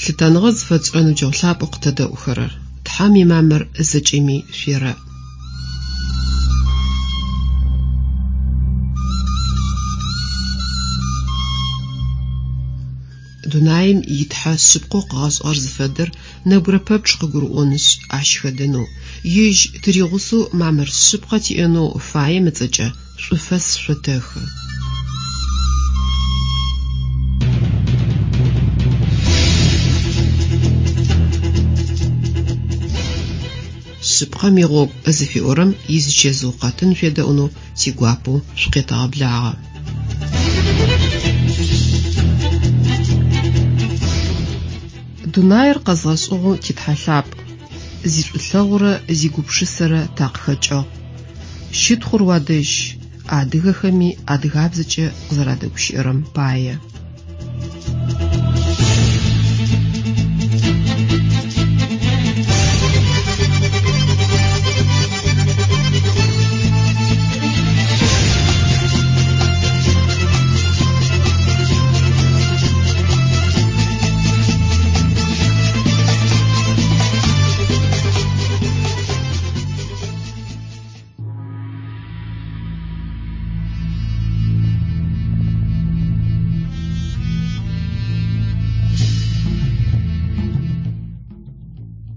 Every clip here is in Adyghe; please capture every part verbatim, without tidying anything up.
Лъытэныгъэ зыфэтшӏырэ ныбджэгъу лъапӏэу къытэдэӏухэрэр, Тхьэм имамыр зэкӏэми шъуерэӏ. Дунаим итхьэ шъыпкъэу къыгъэшӏыгъэр зыфэдэр нэбгырэ пэпчъ къыгурыӏонышъ, ащ хэдэнэу, ежь тыригъусэу мамыр шъыпкъэ тиӏэнэу фаем ыцӏэкӏэ шӏуфэс шъотэхы. Шъыпкъэм игъогу зыфиӏорэм изычэзыу къэтын шъуедэӏунэу тигуапэу шъукъетэгъэблагъэ. Дунаир къэзгъэшӏыгъэу титхьэ лъапӏ, зишӏулъэгъурэ зигупшысэрэ такъыхэкӏыгъ. Щытхъур уадэжь, адыгэхэми адыгабзэкӏэ къызэрадэгущыӏэрэм пае.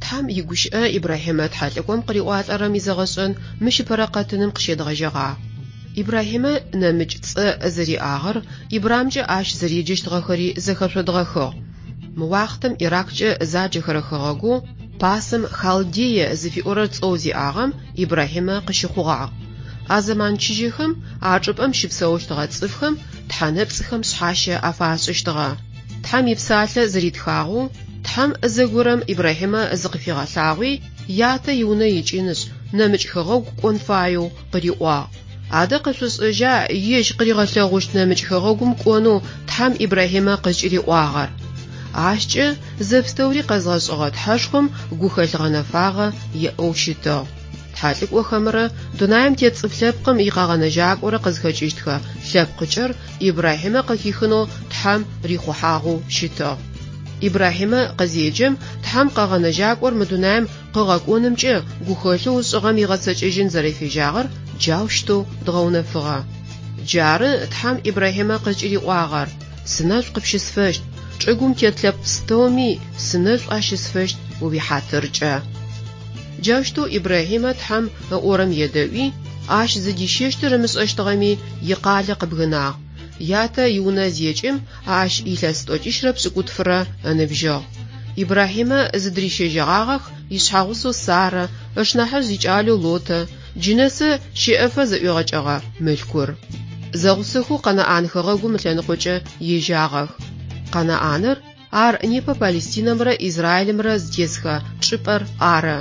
Тхьэм игущыӏэ Ибрахьимэ тхьэлӏыкӏом къыриӏуалӏэрэм изэгъэшӏэн мыщ ыпэрэ къэтыным къыщедгъэжьэгъагъ. Ибрахьимэ нэмыкӏ цӏэ зэриӏагъэр, Ибрамкӏэ ащ зэреджэщтыгъэхэри зэхэшъодгъэхыгъ. Мы уахътэм Ираккӏэ заджэхэрэ хэгъэгоу пасэм Халдея зыфиӏорэр цӏэу зиӏагъэм Ибрахьимэ къыщыхъугъагъ. А зэман чыжьэхэм а чӏыпӏэм щыпсэущтыгъэ цӏыфхэм тхьэ нэпцӏхэм шъхьащэ афашӏыщтыгъэ. Тхьэм ипсалъэ зэритхагъэу, Тхьэм зэгорэм Ибрахьимэ зыкъыфигъэлъагъуи, ятэ иунэ икӏынышъ, нэмыкӏ хэгъэгу кӏон фаеу къыриӏуагъ. Адэ къэшъошӏэжьа ежь къыригъэлъэгъущт нэмыкӏ хэгъэгум кӏонэу Тхьэм Ибрахьимэ къызкӏыриӏуагъэр? Ащкӏэ зэпстэури къэзгъэшӏыгъэ Тхьэшхом гухэлъ гъэнэфагъэ иӏэу щытыгъ. Тхьэлӏыкӏохэмрэ дунаим тет цӏыф лъэпкъым икъэгъэнэжьакӏорэ къызхэкӏыщтхэ лъэпкъыкӏэр Ибрахьимэ къыхихынэу Тхьэм рихъухьагъэу щытыгъ. Ибрахьимэ къызеджэм Тхьэм къэгъэнэжьакӏор мы дунаим къыгъэкӏонымкӏэ гухэлъэу ышӏыгъэм игъэцэкӏэжьын зэрэфежьагъэр джаущтэу дгъэунэфыгъэ. Джары Тхьэм Ибрахьимэ къызкӏыриӏуагъэр: «Сынэшӏу къыпщысфэщт, чӏыгум тет лъэпкъ пстэуми сынэшӏу ащысфэщт о уихьатыркӏэ». Джаущтэу Ибрахьимэ Тхьэм ыӏорэм едэӏуи, ащ зыдищэщтыр ымышӏэщтыгъэми икъалэ къыбгынагъ. Ятэ иунэ зекӏым ащ илъэс тӏокӏищрэ пшӏыкӏутфырэ ыныбжьыгъ. Ибрахьимэ зыдырищэжьэгъагъэх ишъхьэгъусэу Сарэ, ышнахьыжъ икӏалэу Лотэ, джынэсы щэӏэфэ зэӏуигъэкӏэгъэ мылъкур. Зэгъусэхэу Къэнаӏан хэгъэгум ылъэныкъокӏэ ежьагъэх. Къэнаӏаныр ар непэ Палестинэмрэ Израилымрэ зытесхэ чӏыпӏэр ары.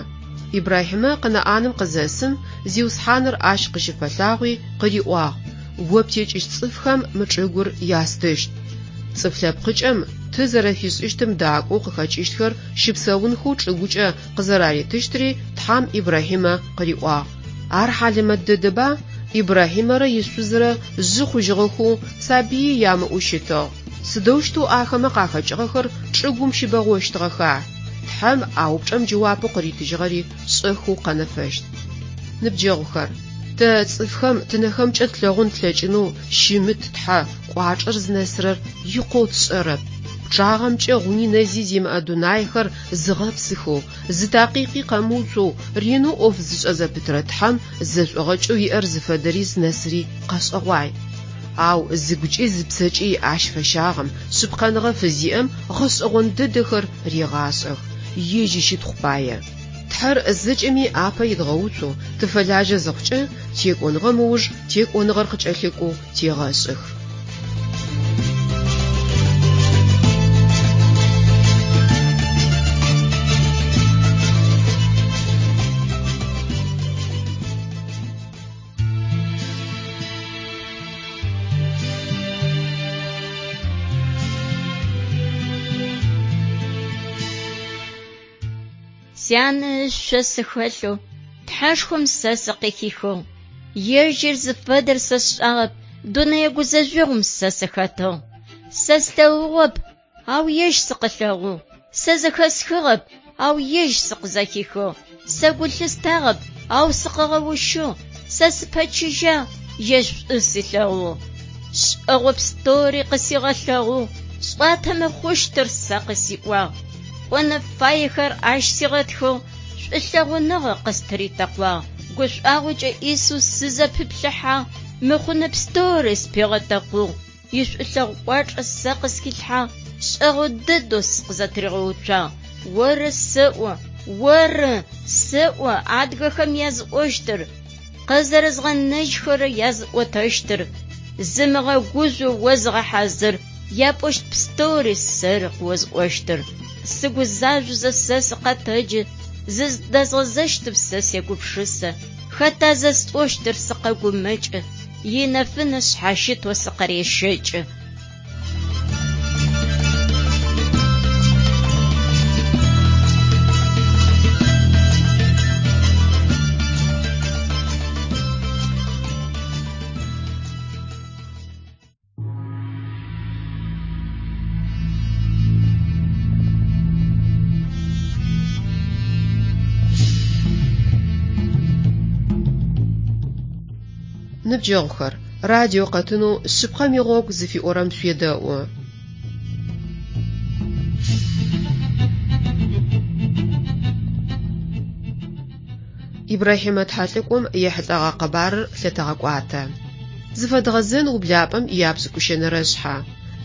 Ибрахьимэ Къэнаӏаным къызэсым, Зиусхьаныр ащ къыщыфэлъагъуи къыриӏуагъ: «О птекӏыщт цӏыфхэм мы чӏыгур ястыщт». Цӏыф лъэпкъыкӏэм ты зэрэфишӏыщтым дакӏоу къыхэкӏыщтхэр щыпсэунхэу чӏыгукӏэ къызэраритыщтри Тхьэм Ибрахьимэ къыриӏуагъ. Ар хьалэмэт дэдэба? Ибрахьимэрэ ишъузрэ жъы хъужьыгъэхэу сабыий ямыӏэу щытыгъ. Сыдэущтэу ахэмэ къахэкӏыгъэхэр чӏыгум щыбэгъощтыгъэха? Тхьэм а упчӏэм джэуапэу къыритыжьыгъэри шӏэхэу къэнэфэщт. Ныбджэгъухэр, тэ цӏыфхэм тынэхэмкӏэ тлъэгъун тлъэкӏынэу щымыт Тхьэ кӏуачӏэр зынэсырэр икъоу тшӏэрэп. Пчъагъэмкӏэ гъуни нэзи зимыӏэ дунаихэр зыгъэпсыхэу, зы такъикъи къэмыуцоу, ренэу ӏоф зышӏэ зэпытырэ Тхьэм зэшӏогъэкӏэу иӏэр зыфэдэри зынэсыри къэшӏэгъуай. Ау зыгукӏи зыпсэкӏи ащ фэщагъэм, шъыпкъэныгъэ фызиӏэм гъэшӏэгъон дэдэхэр регъашӏэх, ежь ищытхъу пае. Тхьэр зэкӏэми апэ идгъэуцоу тыфэлажьэ зыхъукӏэ, текӏоныгъэм ыуж текӏоныгъэр къыкӏэлъыкӏоу тегъэшӏых. Сянэ ышъо сыхэлъэу, Тхьэшхом сэ сыкъыхихыгъ. Ежьыр зыфэдэр сэ сшӏагъэп, дунэе гузэжъогъум сэ сыхэтыгъ. Сэ слъэгъугъэп, ау ежь сыкъылъэгъугъ. Сэ зэхэсхыгъэп, ау ежь сыкъызэхихыгъ. Сэ гу лъыстагъэп, ау сыкъыгъэущыгъ. Сэ сыпэчыжьагъ, ежь шӏу силъэгъугъ. Шӏэгъо пстэури къысигъэлъэгъугъ. Сӏуатэмэ хъущтыр сэ къысиӏуагъ. Кӏон фаехэр ащ сигъэтхыгъ. Шӏулъэгъуныгъэ къыстыритэкъуагъ. Гушӏуагъокӏэ Исус сызэпиплъыхьагъ. Мыхъунэ пстэури спигъэтэкъугъ. Ишӏулъэгъу кӏуачӏэ сэ къысхилъхьагъ. Шӏэгъо дэдэу сыкъызэтыригъэуцуагъ. Оры сэӏо, оры сэӏо адыгэхэм языӏощтыр, къэзэрэзгъэнэжьхэрэр языӏотэщтыр. Зымыгъэгужъоу о зыгъэхьазыр, япӏощт пстэури сэры къыозыӏощтыр. Сыгузажъозэ сэ сыкъэтэджы, зыздэзгъэзэщтым сэ сегупшысэ. Хэта зэсӏощтыр сыкъэгумэкӏы, инэфынэ шъхьащытэу сыкъырещэкӏы. Ныбджэгъухэр, радио къэтынэу «Шъыпкъэм игъогу» зыфиӏорэм шъуедэӏу. Ибрахьимэ тхьэлӏыкӏом ехьылӏэгъэ къэбарыр лъытэгъэкӏуатэ. Зыфэдгъэзэн ублапӏэм иепшӏыкӏущэнэрэ шъхьэ.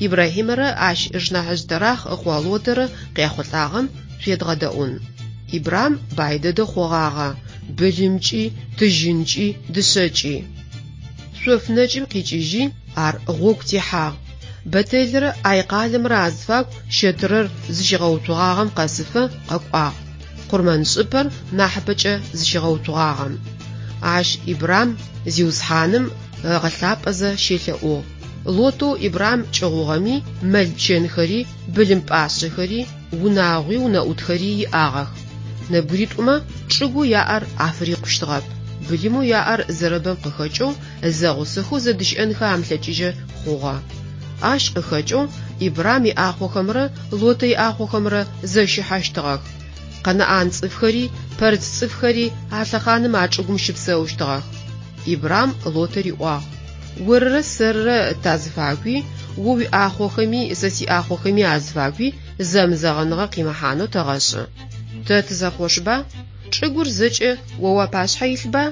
Ибрахьимэрэ ащ ышнахьыжъ Тэрах ыкъо Лотэрэ къяхъулӏагъэм шъуедгъэдэӏун. Ибрам бай дэдэ хъугъагъэ: былымкӏи, тыжьынкӏи, дышъэкӏи. Шъоф нэкӏым къикӏыжьи, ар гъогу техьагъ. Бэтэлрэ Ай къалэмрэ азыфагу щэтырэр зыщигъэуцугъагъэм къэсыфэ къэкӏуагъ. Къурмэншӏыпӏэр нахьыпэкӏэ зыщигъэуцугъагъэм. Ащ Ибрам Зиусхьаным ыгъэлъапӏэзэ щелъэӏугъ. Лотэу Ибрам кӏыгъугъэми мэл-пчэнхэри, былым пӏашъэхэри, унагъуи унэӏутхэри иӏагъэх. Нэбгыритӏумэ чӏыгоу яӏэр афырикъущтыгъэп. Былымэу яӏэр зэрэбэм къыхэкӏэу зэгъусэхэу зэдыщыӏэнхэ амылъэкӏыжьэ хъугъэ. Ащ къыхэкӏэу Ибрам иӏахъохэмрэ Лотэ иӏахъохэмрэ зэщыхьащтыгъэх. Къэнаӏан цӏыфхэри, пэрыт цӏыфхэри а лъэхъаным а чӏыгум щыпсэущтыгъэх. Ибрам Лотэ риӏуагъ: «Орырэ сэрырэ тазыфагуи, о уиӏахъохэми сэ сиӏахъохэми азыфагуи зэмызэгъыныгъэ къимыхьанэу тэгъэшӏы. Тэ тызэкъошба? Чӏыгур зэкӏэ о уапашъхьэ илъба?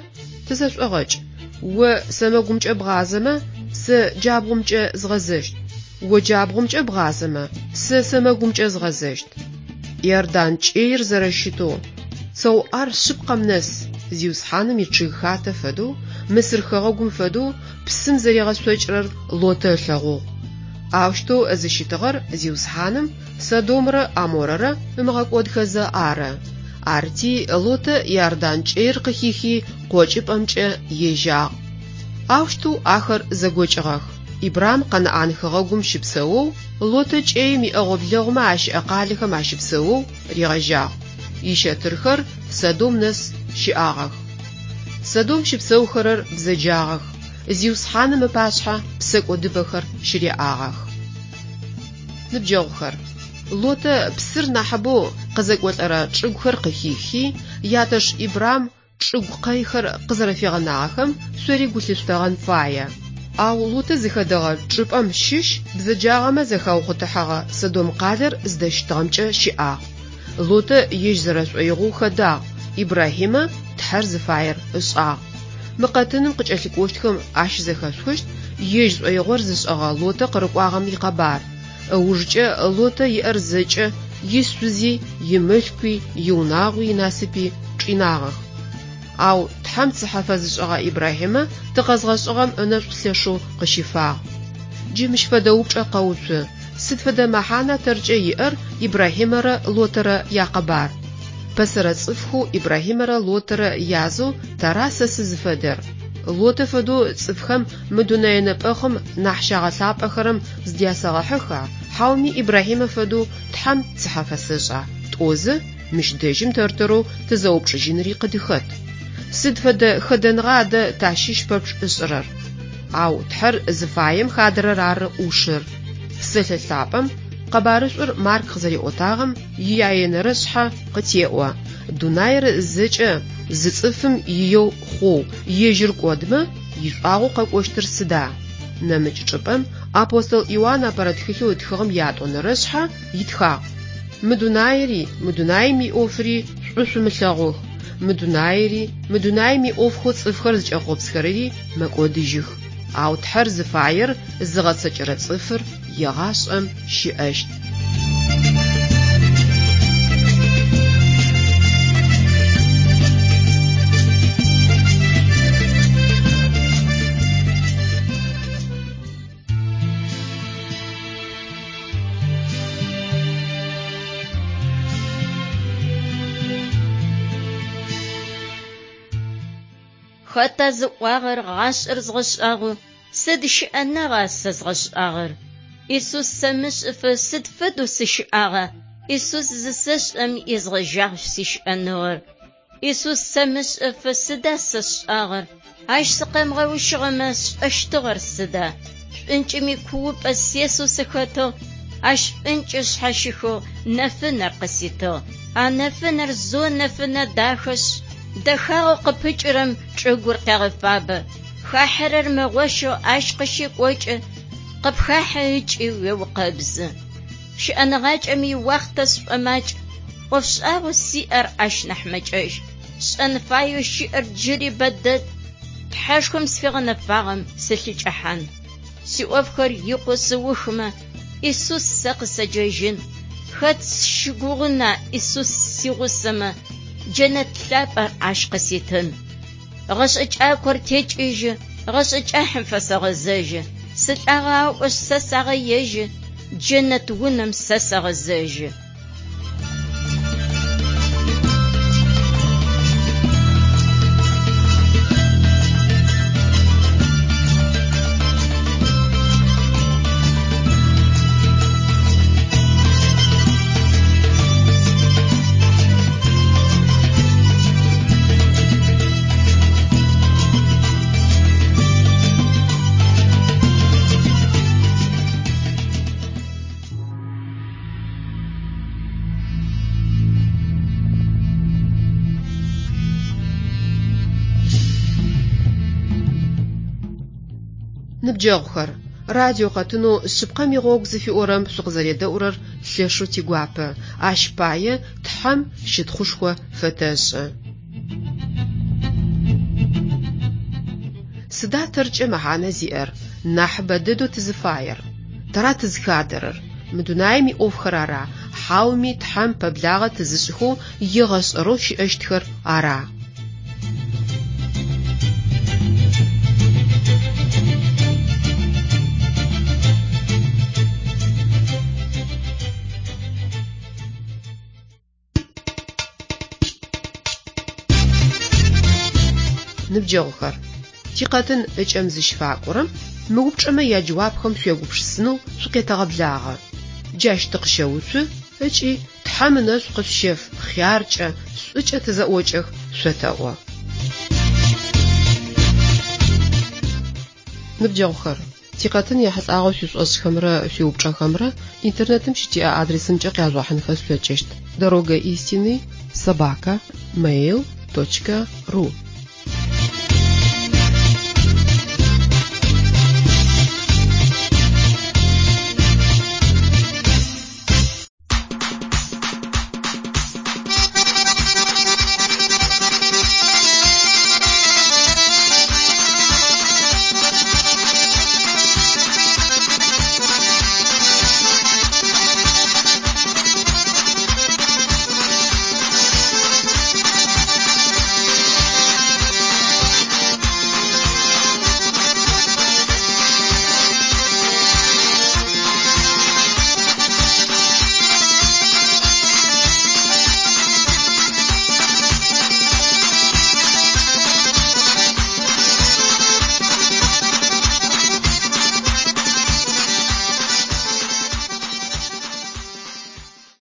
Тызэшӏогъэкӏ. О сэмэгумкӏэ бгъазэмэ, сэ джабгъумкӏэ згъэзэщт. О джабгъумкӏэ бгъазэмэ, сэ сэмэгумкӏэ згъэзэщт». Иордан кӏэир зэрэщытэу, Цэуӏар шъыпкъэм нэс, Зиусхьаным ичъыг хатэ фэдэу, Мысыр хэгъэгум фэдэу псым зэригъэшъокӏырэр Лотэ ылъэгъугъ. Аущтэу зыщытыгъэр Зиусхьаным Содомрэ Аморэрэ ымыгъэкӏодхэзэ ары. Арти Лотэ Иордан кӏэир къыхихи къокӏыпӏэмкӏэ ежьагъ. Аущтэу ахэр зэгокӏыгъэх. Ибрам Къэнаӏан хэгъэгум щыпсэоу, Лотэ кӏэим иӏэгъо-блэгъумэ ащыӏэ къалэхэм ащыпсэоу ригъэжьагъ. Ищэтырхэр Содом нэс щыӏагъэх. Содом щыпсэухэрэр бзэджагъэх, Зиусхьаным ыпашъхьэ псэкӏодыбэхэр щыряӏагъэх. Ныбджэгъухэр, Лотэ псыр нахьыбэу къызэкӏолӏэрэ чӏыгухэр къыхихи, ятэш Ибрам чӏыгу къэйхэр къызэрэфигъэнагъэхэм шъори гу лъышъутэгъэн фае. Ау Лотэ зыхэдэгъэ чӏыпӏэм щыщ бзэджагъэмэ зэхаухъытыхьэгъэ Содом къалэр зыдэщытыгъэмкӏэ щыӏагъ. Лотэ ежь зэрэшӏоигъоу хэдагъ, Ибрахьимэ Тхьэр зыфаер ышӏагъ. Мы къэтыным къыкӏэлъыкӏощтхэм ащызэхэшъухыщт ежь шӏоигъор зышӏэгъэ Лотэ къырыкӏуагъэм икъэбар. Ыужкӏэ Лотэ иӏэр зэкӏэ ишъузи, имылъкуи, иунагъуи инасыпи чӏинагъэх. Ау Тхьэм цыхьэ фэзышӏыгъэ Ибрахьимэ тыкъэзгъэшӏыгъэм ынэшӏу лъэшэу къыщифагъ. Джы мыщ фэдэ упчӏэ къэуцу: сыд фэдэ мэхьана тэркӏэ иӏэр Ибрахьимэрэ Лотэрэ якъэбар? Пэсэрэ цӏыфхэу Ибрахьимэрэ Лотэрэ язэу тара сэ сызыфэдэр? Лотэ фэдэу цӏыфхэм мы дунэе нэпӏэхъым нахь щагъэлъапӏэхэрэм зыдясэгъэхьыха, хьауми Ибрахьимэ фэдэу Тхьэм цыхьэ фэсэшӏа? Тӏозэ мыщ дэжьым тэртэрэу тызэупчӏыжьынри къыдыхэт. Сыд фэдэ хэдэныгъа адэ тащыщ пэпчъ ышӏырэр? Ау Тхьэр зыфаем хадэрэр ары ӏушыр. Псэлъэ лъапӏэм Къэбарышӏур Марк къызэриӏотагъэм ияенэрэ шъхьэ къытеӏо: Дунаир зэкӏэ зы цӏыфым иеу хъоу, ежьыр кӏодмэ, ишӏуагъэу къэкӏощтыр сыда? Нэмыкӏ чӏыпӏэм апостол Иоанн апэрэ тхылъэу ытхыгъэм ятӏонэрэ шъхьэ итхагъ: Мы дунаири, мы дунаим иӏофри шӏу шъумылъэгъух. Мы дунаири, мы дунаим иӏофхэу цӏыфхэр зыкӏэхъопсхэрэри мэкӏодыжьых. Ау Тхьэр зыфаер зыгъэцэкӏэрэ цӏыфыр егъашӏэм щыӏэщт. Хэта зыӏуагъэр гъашӏэр згъэшӏагъэу, сыд щыӏэныгъа сэ згъэшӏагъэр? Исус сэмышӏыфэ сыд фэдэу сыщыӏагъа? Исус зысэшӏэм езгъэжьагъ сищыӏэныгъэр. Исус сэмышӏыфэ сыда сэ сшӏагъэр? Ащ сыкъэмыгъэущыгъэмэ сшӏэщтыгъэр сыда? Шӏункӏыми куупӏэ сесэу сыхэтыгъ, ащ шӏункӏыр шъхьащихыгъ, нэфынэр къыситыгъ. А нэфынэр зо нэфынэ дахэшъ, дэхагъэу къыпыкӏырэм чӏыгур къегъэфабэ. Хахьэрэр мэгъощэу ащ къыщекӏокӏы, къыпхахьэ ыкӏи уеукъэбзы. Щыӏэныгъакӏэм иуахътэ сшӏомакӏ, ӏофшӏагъэу сиӏэр ащ нахь мэкӏэжь. Шӏэн фаеу щыӏэр джыри бэдэд, Тхьэшхом сфигъэнэфагъэм сылъыкӏэхьан. Сиӏофхэр икъу сыухымэ, Исус сэ къысэджэжьын. Хэт сщыгугъына Исус сигъусэмэ, джэнэт лъапӏэр ащ къыситын. Гъэшӏэ кӏакор текӏыжьы, гъэшӏэ кӏахьым фэсэгъэзэжьы. Сылӏагъэ аӏошъ сэ сагъэежьы, джэнэт унэм сэ сэгъэзэжьы. Ныбджэгъухэр, радио къэтынэу шъыпкъэм игъогу зыфиӏорэм шъукъызэредэӏурэр лъэшэу тигуапэ. Ащ пае Тхьэм щытхъушхо фэтэшӏы. Сыда тэркӏэ мэхьанэ зиӏэр, нахьыбэ дэдэу тызыфаер? Тара тызхадэрэр? Мы дунаим иӏофхэр ара, хьауми Тхьэм пэблагъэ тызышӏыхэу егъэшӏэрэу щыӏэщтхэр ара? Ныбджэгъухэр, тикъэтын ыкӏэм зыщыфакӏорэм мы упчӏэмэ яджэуапхэм шъуегупшысынэу шъукъетэгъэблагъэ. Джащ тыкъыщэуцу ыкӏи Тхьэм ынэшӏу къышъущэф хъяркӏэ, шӏукӏэ тызэӏокӏэх шъотэӏо. Ныбджэгъухэр, тикъэтын ехьылӏагъэу шъуишӏошӏхэмрэ шъуиупчӏэхэмрэ интернетым щытиӏэ адресымкӏэ къяжъугъэхьынхэ шъулъэкӏыщт: дорога истины собака mail точка ру.